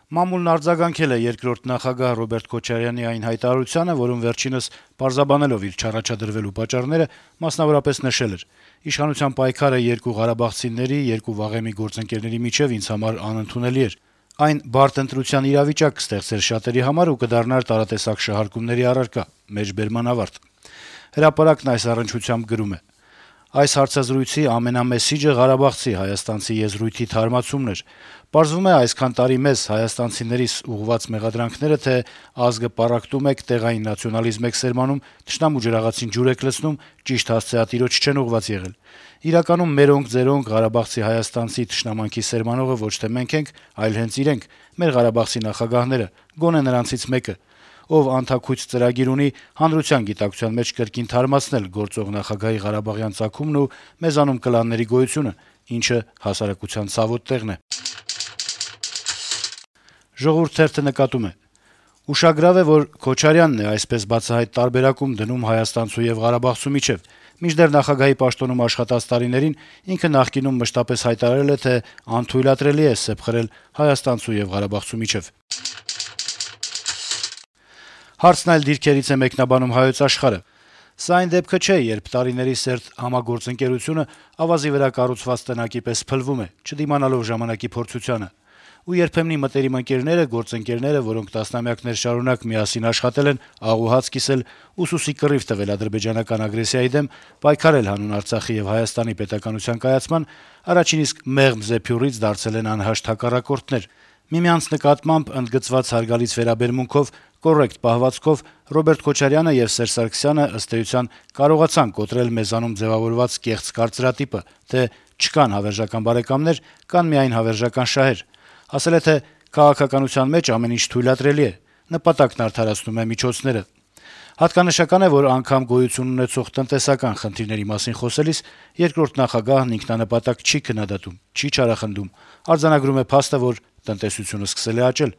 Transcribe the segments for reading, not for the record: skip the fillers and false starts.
Մամուլն արձագանքել է երկրորդ նախագահ Ռոբերտ Քոչարյանի այն հայտարարությանը, որում վերջինս պարզաբանելով իր չառաջադրվելու պատճառները, մասնավորապես նշել էր. «Իշխանության պայքարը երկու ղարաբաղցիների, երկու վաղեմի գործընկերների միջեւ ինձ համար անընդունելի էր։ Այն բարդ ընտրության իրավիճակ կստեղծեր շատերի համար ու կդառնար տարատեսակ շահարկումների առարկա»։ Մեջբերման ավարտ։ Հրապարակն այս առնչությամբ գրում է. «Այս հարցազրույցի ամենամեսիջը ղարաբաղցի հայաստանցի եզրույթի թարմացումն էր։ Պարզվում է, այսքան տարի մեզ հայաստանցիներիս ուղղված մեղադրանքները, թե ազգը պառակտում եք, տեղային նացիոնալիզմ եք սերմանում, թշնամու ջրաղացին ջուր եք լցնում, ճիշտ հասցեատիրոջ չեն ուղղված եղել։ Իրականում մերոնք ձերոնք Ղարաբաղցի հայաստանցի թշնամանքի սերմանողը ոչ թե մենք ենք, այլ հենց իրենք, մեր Ղարաբաղցի նախագահները, գոնե նրանցից մեկը, ով անթաքույց ծրագիր ունի հանրության գիտակցության մեջ կրկին թարմացնել գործող նախագահի ղարաբաղյան ծագումն ու մեզանում կլանների գոյությունը, ինչը հասարակության ցավոտ տեղն է»։ «Ժողովուրդ» թերթը նկատում է. - «Ուշագրավ է, որ Քոչարյանն է այսպես բացահայտ տարբերակում դնում հայաստանցու եւ ղարաբաղցու միջեւ, մինչդեռ նախագահի պաշտոնում աշխատած տարիներին ինքը նախկինում մշտապես հայտարարել է, թե անթույլատրելի է սեպ խրել հայաստանցու եւ ղարաբաղցու միջեւ»։ Հարցն այլ դիրքերից է մեկնաբանում «Հայոց Աշխարհ»-ը. - «Սա այն դեպքը չէ, երբ տարիների սերտ համագործընկերությունը ավազի վրա կառուցված տնակի պես փլվում է, չդիմանալով ժամանակի փորձությանը: Ու երբեմնի մտերիմ ընկերները, գործընկերները, որոնք տասնամյակներ շարունակ միասին աշխատել են, աղ ու հաց կիսել, ուսուցի կռիվ տվել ադրբեջանական ագրեսիայի դեմ, պայքարել հանուն Արցախի եւ Հայաստանի պետականության կայացման, առաջին իսկ մեղմ զեփյուռից դարձել են անհաշտ հակառակորդներ: Միմյանց նկատմամբ ընդգծված հարգալից վերաբերմունքով, կոռեկտ պահվածքով Ռոբերտ Քոչարյանը եւ Սերժ Սարգսյանը, ըստ էության, կարողացան կոտրել մեզանում ձեւավորված կեղծ կարծրատիպը, թե չկան հավերժական բարեկամներ, կան միայն հավերժական շահեր: Ասել է, թե քաղաքականության մեջ ամեն ինչ թույլատրելի է, նպատակն արդարացնում է միջոցները: Հատկանշական է, որ անգամ գոյություն ունեցող տնտեսական խնդիրների մասին խոսելիս երկրորդ նախագահն ինքնանպատակ չի քննադատում, չի չարախնդում, արձանագրում է փաստը, որ տնտեսությունը սկսել է աճել»: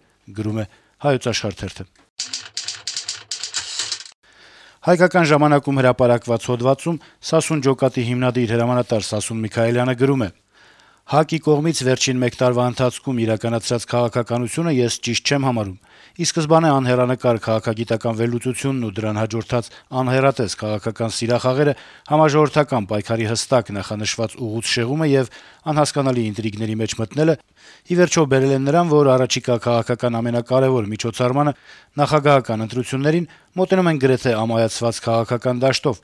«Հայկական ժամանակ»-ում հրապարակված հոդվածում «Սասուն ջոկատի» հիմնադիր հրամանատար Սասուն Միքայելյանը գրում է. - «ՀԱԿ-ի կողմից վերջին մեկ տարվա ընթացքում իրականացրած քաղաքականությունը ես ճիշտ չեմ համարում: Ի սկզբանե անհեռանկար քաղաքագիտական վերլուծությունն ու դրան հաջորդած անհեռատես քաղաքական սիրախաղերը, համաժողովրդական պայքարի հստակ նախանշված ուղղութ շեղումը եւ անհասկանալի ինտրիգների մեջ մտնելը ի վերջո բերել են նրան, որ առաջիկա քաղաքական ամենակարեւոր միջոցառմանը՝ նախագահական ընտրություններին, մոտենում են գրեթե ամայացված քաղաքական դաշտով: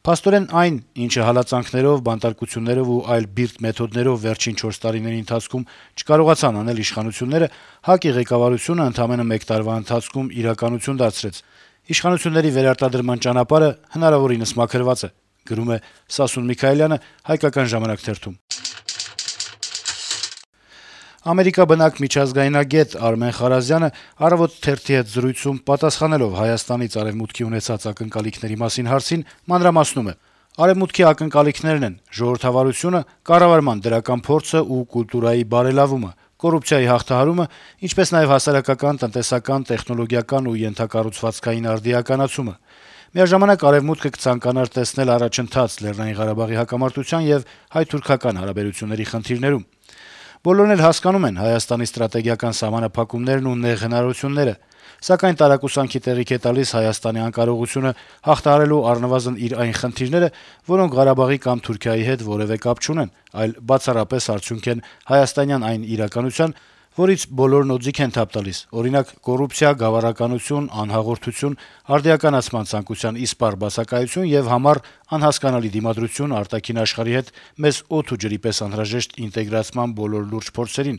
Փաստորեն այն, ինչը հալածանքներով, բանտարկություններով ու այլ բիրտ մեթոդներով վերջին 4 տարիների ընթացքում չկարողացան անել իշխանությունները, ՀԱԿ-ի ղեկավարությունը ընդամենը մեկ տարվա ընթացքում իրականություն դարձրեց: Իշխանությունների վերարտադրման ճանապարհը հնարավորինս մաքրված է»: Ամերիկա բնակ միջազգայնագետ Արմեն Խարազյանը «Առավոտ» թերթի հետ զրույցում պատասխանելով Հայաստանից Արեւմուտքի ունեցած ակնկալիքների մասին հարցին մանրամասնում է. - «Արեւմուտքի ակնկալիքներն են ժողովրդավարությունը, կառավարման դրական փորձը ու կուլտուրայի բարելավումը, կոռուպցիայի հաղթահարումը, ինչպես նաեւ հասարակական, տնտեսական, տեխնոլոգիական ու ենթակառուցվածքային արդիականացումը: Միաժամանակ Արեւմուտքը կցանկանար տեսնել առաջընթաց Լեռնային Ղարաբաղի հակամարտության եւ հայ-թուրքական հարաբերությունների խնդիրներում: Բոլորն էլ հասկանում են Հայաստանի ստրատեգիական սահմանափակումներն ու նեղ հնարավորությունները, սակայն տարակուսանքի տեղիք է տալիս Հայաստանի անկարողությունը հաղթահարելու առնվազն իր այն խնդիրները, որոնք Ղարաբաղի կամ Թուրքիայի հետ որեւէ կապ չունեն, այլ բացառապես արդյունք են հայաստանյան այն իրականության, որից բոլորն օձիք են թափ տալիս, օրինակ՝ կոռուպցիա, գավառականություն, անհաղորդություն, արդիականացման ցանկության իսպառ բացակայություն եւ համառ, անհասկանալի դիմադրություն արտաքին աշխարհի հետ մեզ օդ ու ջրի պես անհրաժեշտ ինտեգրացման բոլոր լուրջ փորձերին»: